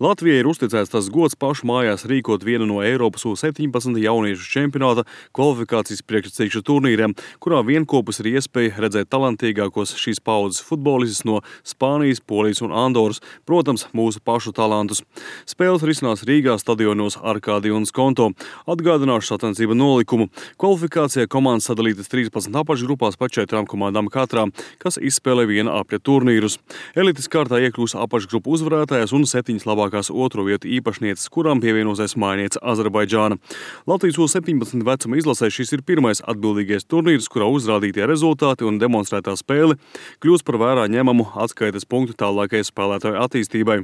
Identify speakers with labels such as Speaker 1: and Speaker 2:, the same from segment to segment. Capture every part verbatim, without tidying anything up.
Speaker 1: Latvijai ir uzticēts tas gods pašu mājās rīkot vienu no Eiropas U septiņpadsmit jauniešu čempionāta kvalifikācijas priekšsacīkšu turnīriem, kurā vienkopus ir iespēja redzēt talantīgākos šīs paaudzes futbolistus no Spānijas, Polijas un Andoras, protams, mūsu pašu talantus. Spēles risinās Rīgā stadionos Arkādija un Skonto. Atgādināšu sacensību nolikumu. Kvalifikācijā komandas sadalītas trīspadsmit apakšgrupās pa četrām komandām katrā, kas izspēlē viena apļa turnīrus. Elites kārtā iekļūs apakšgrupu uzvarētājas un septiņas labākās otro vietu īpašnieces, kurām pievienosies mājniece Azerbaidžāna. Latvijas U septiņpadsmit vecuma izlasē šis ir pirmais atbildīgais turnīrs, kurā uzrādītie rezultāti un demonstrētā spēle kļūst par vērā ņemamu atskaites punktu tālākajai spēlētāju attīstībai.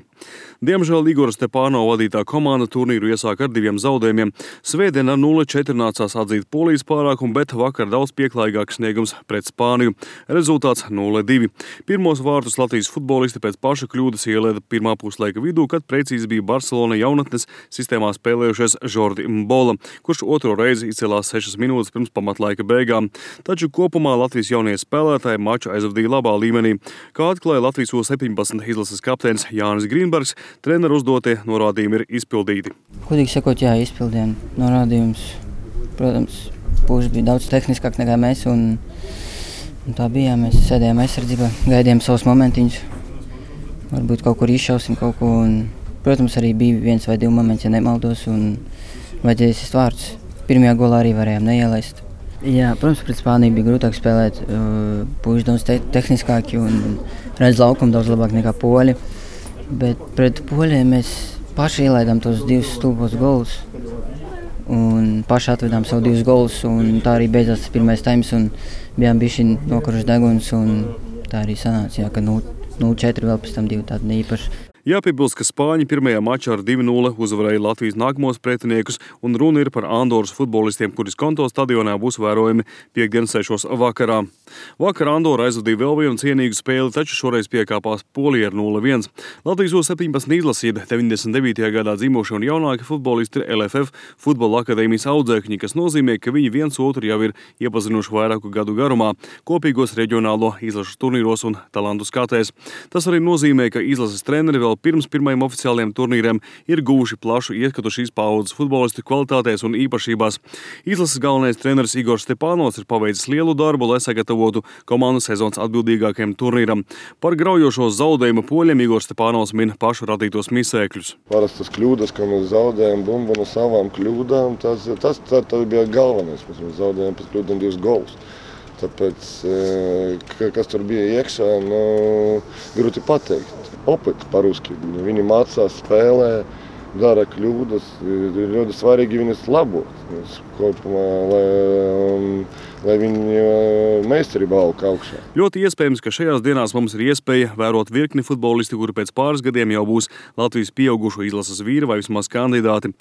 Speaker 1: Diemžēl Igora Stepānova vadītā komanda turnīru iesāk ar diviem zaudējumiem. Svētdien ar nulle četri nācās atzīt Polijas pārākumu, bet vakar daudz pieklājīgāks sniegums pret Spāniju. Rezultāts nulle divi. Pirmos vārtus Latvijas futbolisti pēc paša kļūdas ielēda pirmā puslaika vidū, kad precīzi bija Barcelona jaunatnes sistēmā spēlējušies Jordi Mbola, kurš otro reizi izcēlās sešas minūtes pirms pamatlaika beigām. Taču kopumā Latvijas jaunie spēlētāji maču aizvadīja labā līmenī. Kā atklāja Latvijas U septiņpadsmit izlases kapteinis Jānis Grīnbergs, treneru uzdotie norādījumi ir izpildīti.
Speaker 2: Kodīgi sakot, jā, izpildījām norādījumus. Protams, puiši bija daudz tehniskāk nekā mēs, un, un tā bija. Mēs sēdējām aizsardzībā, gaidījām savus momentiņus. Varbūt kaut kur izšausim kaut ko, un, protams, arī bija viens vai divi momenti, ja nemaldos, un vajadzēja izsist vārdus. Pirmajā golā arī varējām neielaist. Jā, protams, pret Spāniju bija grūtāk spēlēt, puiši daudz te tehniskāki un redz laukumu daudz labāk nekā poļi, bet pret poļiem mēs paši ielaidām tos divus stulbos golus un paši atvedām savu divus golus, un tā arī beidzās tas pirmais taims, un bijām bišķi nokuruši deguns, un tā arī sanāca, jā, ka nulle četri vēl pēc tam divi tādi neīpaši.
Speaker 1: Jāpiebilst, ka Spāņi pirmajā mačā ar divi nulle uzvarēja Latvijas nākamos pretiniekus, un runa ir par Andoras futbolistiem, kuri Skonto stadionā būs vērojami piekdien sešos vakarā. Vakar Andora aizvadīja vēl vienu cienīgu spēli, taču šoreiz piekāpās Polija ar nulle viens. Latvijas U septiņpadsmit izlasība deviņdesmit devītajā gadā dzimuši un jaunāki futbolisti ir L F F futbola akadēmijas audzēkņi, kas nozīmē, ka viņi viens otru jau ir iepazinuši vairāku gadu garumā, kopīgos reģionālo izlašu turnīros un talantu skatēs. Tas arī nozīmē, ka izlases treneri vēl pirms pirmajiem oficiāliem turnīriem ir guvuši plašu ieskatu šīs paaudzes futbolistu kvalitātēs un īpašībās. Izlases galvenais treneris Igors Stepānovs ir paveicis lielu darbu, lai sagatavotu komandu sezonas atbildīgākajam turnīram. Par graujošo zaudējumu poļiem Igors Stepānovs min pašu radītos misēkļus.
Speaker 3: Parastas kļūdas, ka mēs zaudējam bumbu no savām kļūdām, tas, tas, tas, tas bija galvenais. Mēs zaudējam pēc kļūdām divus golus. Tāpēc, kas tur bija iekšā, nu, grūti pateikt. Opet par-ruski. Viņi mācās, spēlē, dara kļūdas. Ir ļoti svarīgi viņas labot. Kopumā, lai, lai viņi meistarība aug augšā.
Speaker 1: Ļoti iespējams, ka šajās dienās mums ir iespēja vērot virkni futbolisti, kuri pēc pāris gadiem jau būs Latvijas pieaugušo izlases vīri vai vismaz kandidāti.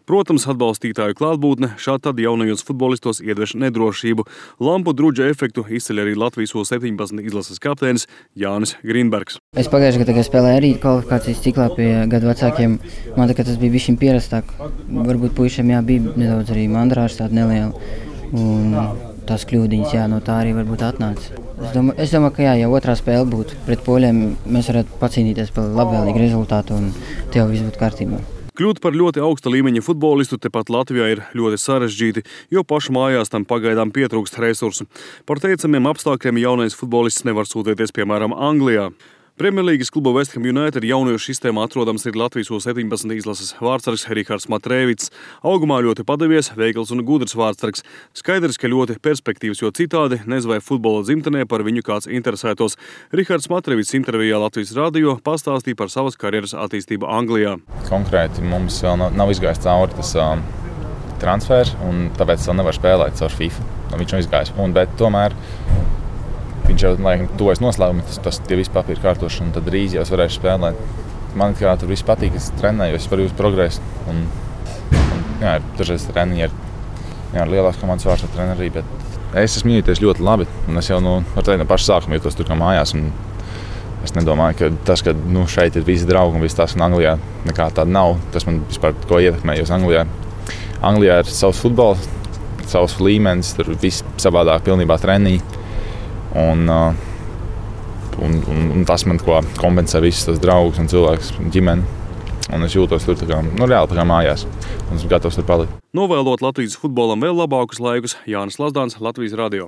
Speaker 1: Protams, atbalstītāju klātbūtne šādi tad jaunajos futbolistos iedveš nedrošību. Lampu druģa efektu izceļ arī Latvijas U septiņpadsmit izlases kapteinis Jānis Grīnbergs.
Speaker 2: Es pagājušajā gadā, kad spēlēju arī kvalifikācijas ciklā pie gadu vecākiem, man tā, ka tas bija bišķiņ pierastāk. Varbūt puišiem jā, bija nedaudz arī mandrāžas tāda neliela. Un tās kļūdiņas, jā, no tā arī varbūt atnāca. Es domāju, es domāju, ka jā, ja otrā spēle būtu pret poļiem, mēs varētu pacīnīties par labvēlīgu rezultātu un te jau viss būtu kārtībā.
Speaker 1: Kļūt par ļoti augsta līmeņa futbolistu tepat Latvijā ir ļoti sarežģīti, jo pašu mājās tam pagaidām pietrūkst resursu. Par teicamiem apstākļiem jaunais futbolists nevar sūtīties, piemēram, Anglijā. Premjerlīgas kluba West Ham United jauniešu sistēmā atrodams ir Latvijas U septiņpadsmit izlases vārdsargs Rihards Matrēvits. Augumā ļoti padavies, veikls un gudrs vārdsargs. Skaidrs, ka ļoti perspektīvs, jo citādi nez vai futbola dzimtenē par viņu kāds interesētos. Rihards Matrēvits intervijā Latvijas radio pastāstīja par savas karjeras attīstību Anglijā.
Speaker 4: Konkrēti mums vēl nav, nav izgājis cauri tas uh, transfers, un tāpēc vēl nevar spēlēt caur FIFA. Viņš nav izgājis, un, bet tomēr viņš jau, laikam, tuvojas noslēgumam, tas, tas tie visi papīri kārtoši, un tad drīz jau es varēšu spēlēt. Man kā tur viss patīk, es trenēju, es varu uz progresu. Un, un, jā, dažreiz treniņi ir jā, lielāks komandas vārds ar treneri, bet es esmu jūties ļoti labi. Un es jau nu, ar teikt, no paša sākuma jūtos tur kā mājās. Un es nedomāju, ka tas, ka nu, šeit ir visi draugi un viss tās, un Anglijā nekā tāda nav, tas man vispār ko ietekmē, jo Anglijā, Anglijā ir savs futbols, savs līmenis, tur viss savādāk pilnībā treniņi. Un, un, un, un tas man ko kompensē visus tos draugus un cilvēkus, ģimeni. Un es jūtos tur tā kā, nu, reāli tā kā mājās. Un esmu gatavs tur palikt.
Speaker 1: Novēlot Latvijas futbolam vēl labākus laikus, Jānis Lazdāns, Latvijas radio.